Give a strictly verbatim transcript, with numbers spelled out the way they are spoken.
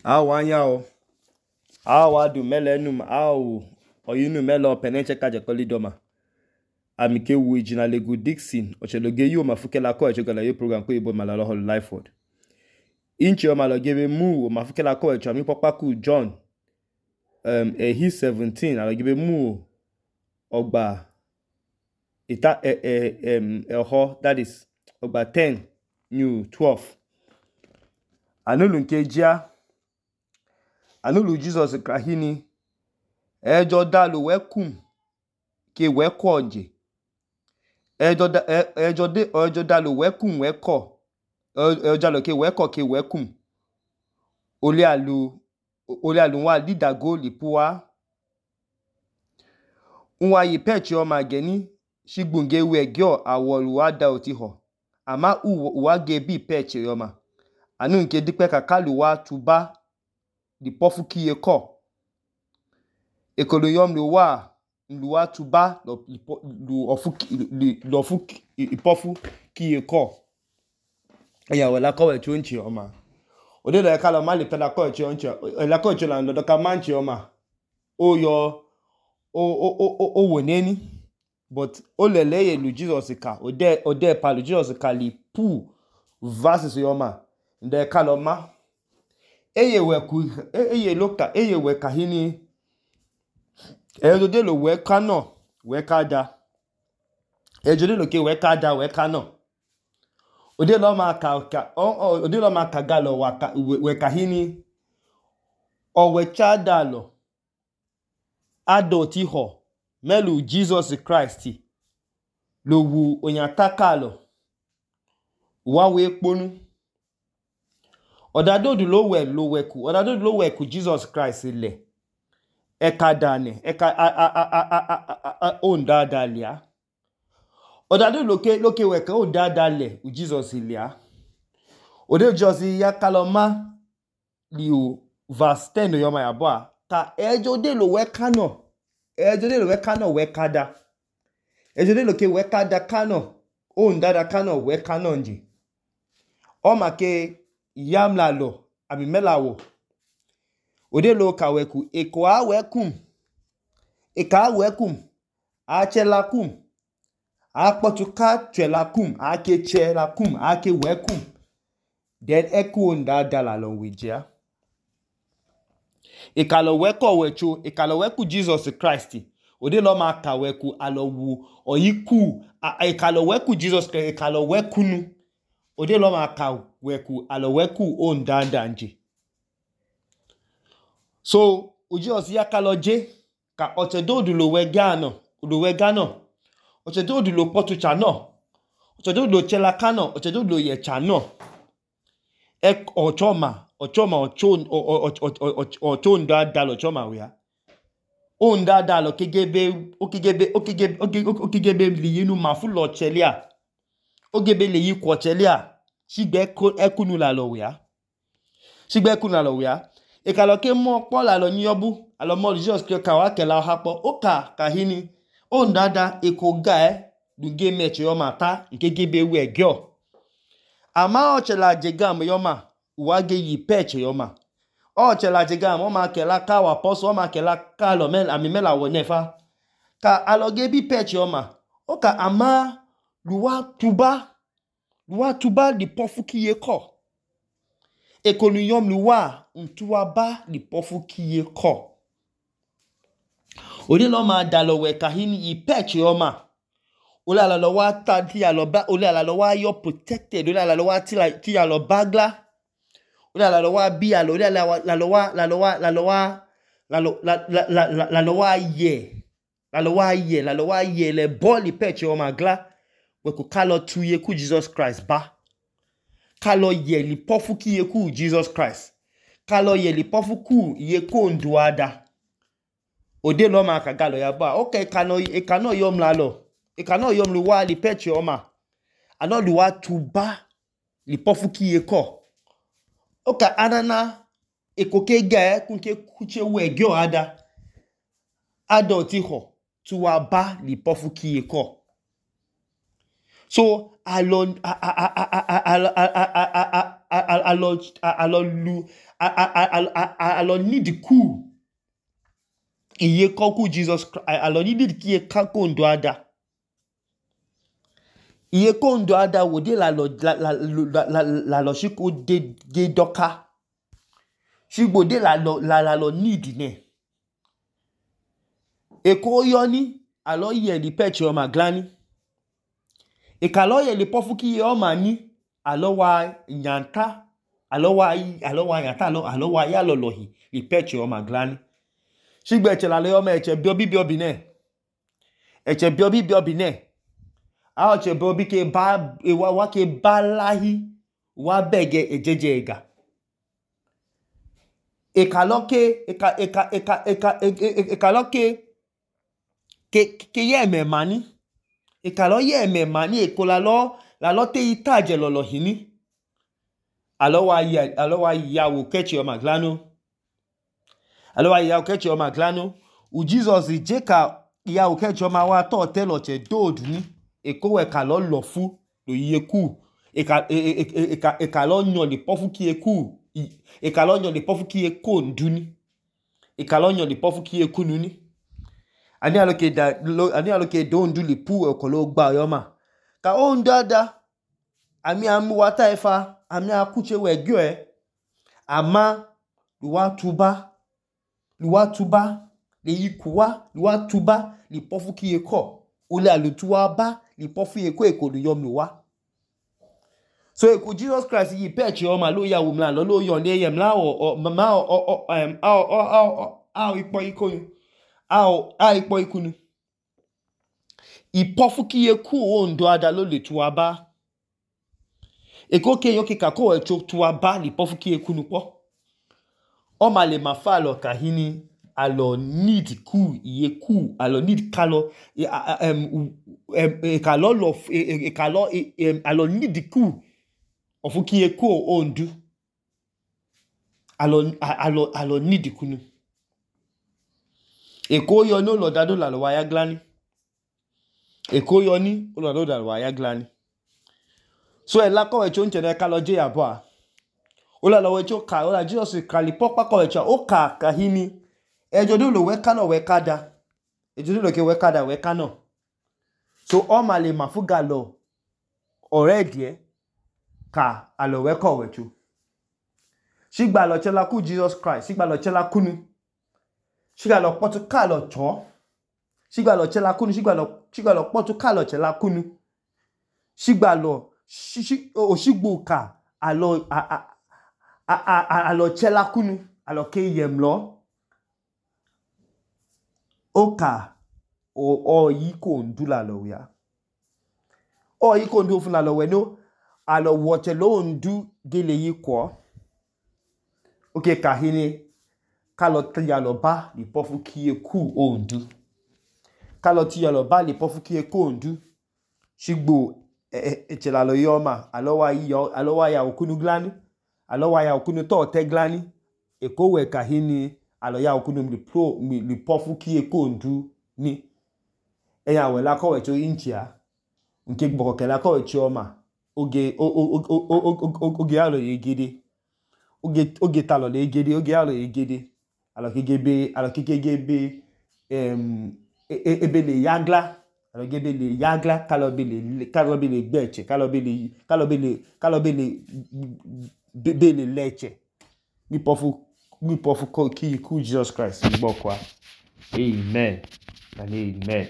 Awanyao awadu melenum awu oyinu melo penenche kaje kolidoma amike wu jina legu Dixon ocheloge yo mafukela ko echogala yo program ko ibo malalo hol Lifeford inchi o malogebe mu mafukela ko echo mi popaku John um ehi seventeen alogebe mu ogba ita eh eh um eho that is ogba ten new twelve anulu nke jia anulu Jesus krahini ejo dalu wekum ke wekoje ejo da ejo de ejo dalu wekum weko ejo dalu ke weko ke wekum oli alu oli alu wa lidago lipuwa unwa yi pechi o mageni shigbunge wegyo awolu ada otiho ama uwa gebi pechi yoma anu nke dipe kakalu wa tuba di pofu kiye ko ekolo yom lu wa lu wa tuba lo lu ofu lo ofu ipofu kiye ko eya wela ko we chonchi oma ode lo kala ma le pela ko chonchi la ko chola ndo ka manchi oma o yo o o o o woneni but o lele ye lu Jesus ka ode ode pa lu Jesus ka li pu verses yoma nde kala ma eye weku eye loka eye weka hini ejo de lo weka no weka da ejo de lo ke weka da weka no ode lo ma ka ka o ode lo ma ka galo waka weka hini o wecha dalo adoti ho melu Jesus Christ lo wu onyatakalo wa we ponu odadodu lo we lo weku odadodu lo weku Jesus Christ le eka dane eka a a a a a onda dalia odadodu loke loke weka onda dale u Jesus ilia ode josi ya kaloma liu verse ten yoma ya boa ka ejo de lo weka no ejo de lo weka no weka da ejo de loke weka da kano onda da kano weka no nji o make yamla lo abi melawo ode lo ka weku eko a wekum eka wekum a chelakum a potuka chelakum a ke chelakum a ke wekum then eku onda dala lo wijia ikalo weko wecho ikalo weku Jesus Christ ode lo ma ka weku alo wu oyiku ikalo weku Jesus Christ ikalo wekunu ode lo ma ka weku alo weku onda danje so uji osi yakalo je ka ochedodu lo wegano lo wegano ochedodu lo potucha no ochedodu lo chelakano ochedodu lo yechano ek ochoma ochoma ochon ochon da dalo choma wia onda dalo kegebe okigebe okigebe okigebe liyinu mafulo chelia ogebe leyi kwo chelia sigbe ekunu la lo wia sigbe ekunu la lo wia ikalo ke mo po la lo nyobu alo mo Jesus ke ka wa ke la hapo oka kahini onda da ekoga e duge meche yo mata nkegebe we gyo ama ochela jegam yoma wage yi peche yoma ochela jegam o ma ke la ka wa poso o ma ke la ka lo mel ami mela wo nefa ka aloge bi peche yoma oka ama luwa tuba luwa tuba di pofu kiye ko ekonu yom luwa ntuwa ba di pofu kiye ko ode lo ma dalo we kahini i peche yoma ole ala lo wa ta ti alo ba ole ala lo wa yo protected ole ala lo wa ti la ti alo bagla ole ala lo wa bi alo ole ala la lo wa la lo wa la lo wa la lo la la la lo wa ye la lo wa ye la lo wa ye le boli peche yoma gla we ku kalo tuye ku Jesus Christ ba kalo ye li pofu kiye ku Jesus Christ kalo ye li pofu ku ye ko nduada ode lo ma ka galo ya ba okay kano e kano yom la lo e kano yom lu wa li peche oma ano lu wa tuba li pofu kiye ko oka anana ekoke ga kunke kuche we gyo ada adoti ho tuwa ba li pofu kiye ko so alon alọ alọ lu alọ need ku iye kọku Jesus Christ alọ need ki iye kako ndo ada iye ko ndo ada wode la lọ la lọ shiko de de doka shigbo de la lọ la lọ need ne eko yoni alọ ye di peche o maglani ikalo ye le pofu ki ye o mani alọ wa nyanta alọ wa alọ wa nyanta alọ alọ wa ya lọlọhi di peche o maglani shigbo eche la le o me eche bio bi bio bi ne eche bio bi bio bi ne a oche bio bi ke ba wa wa ke balahi wa bege ejeje ega ikalo ke ika ika ika ika ikalo ke ke ke ye me mani ikalo ye me mani ekola lo la lo te itaje lolo hini alo wa ya alo wa ya wo kechi o maglano alo wa ya wo kechi o maglano u Jesus je ka ya wo kechi o ma wa to te lo che dodu ni eko we ka lo lo fu lo iye ku eka eka eka lo yan le pofu ki eku eka lo yan le pofu ki eko nduni eka lo yan le pofu ki eku nuni ani aloke da ani aloke do ndu le pu oko lo gba yo ma ka o ndada ami amu wata efa ami akuche we gyo e ama luwa tuba luwa tuba le yikuwa luwa tuba le pofu ki eko ole alutuwa ba le pofu eko eko lu yom luwa so eko Jesus Christ yi peche o ma lo ya wo mla lo lo yon le yem la o ma o o um a o a ipo iko Ao a ipo ikunu ipofu ki eku o ndo ada lo le tuwa ba eko ke yo ke kako e cho tuwa ba li pofu ki ekunu po o ma le ma fa lo kahini alo need ku iye ku alo need kalo um e kalo lo e kalo alo need ku ofu ki eku o ndu alo alo alo need kunu eko yo no lo dado la lo wa ya glani eko yo ni o lo dado la lo wa ya glani so e la ko e cho nche na ka lo je abo a o la lo we cho ka o la Jesus ka li popa ko e cho o ka ka hini e jo do lo we ka no we ka da e jo do lo ke we ka da we ka no so o ma le mafuga lo already e ka alo we ko we cho shigba lo chela ku Jesus Christ shigba lo chela kunu shigba lo potu ka lo cho shigba lo chela kunu shigba lo shigba lo potu ka lo chela kunu shigba lo shi o shigbo ka alo a a alo chela kunu alo ke yem lo oka o o yi ko ndula lo ya o yi ko ndu fun lo we no alo wote lo ndu gele yi ko oke kahini kalo tiya lo ba li pofu ki eku o ndu kalo tiya lo ba li pofu ki eku o ndu shigbo echela lo yoma alo wa yo alo wa ya okunu glani alo wa ya okunu to te glani eko we kahini alo ya okunu mi pro mi li pofu ki eku o ndu ni eya we la ko we cho inchia nke gboko ke la ko we chioma oge oge alo yegede oge oge talo le yegede oge alo yegede alo kegebe alo kegebe em ebe le yagla alo gebe le yagla kalo be le kalo be le gbeche kalo be le kalo be le kalo be le be le leche mi pofu mi pofu ko ki ku Jesus Christ gboko a amen and amen.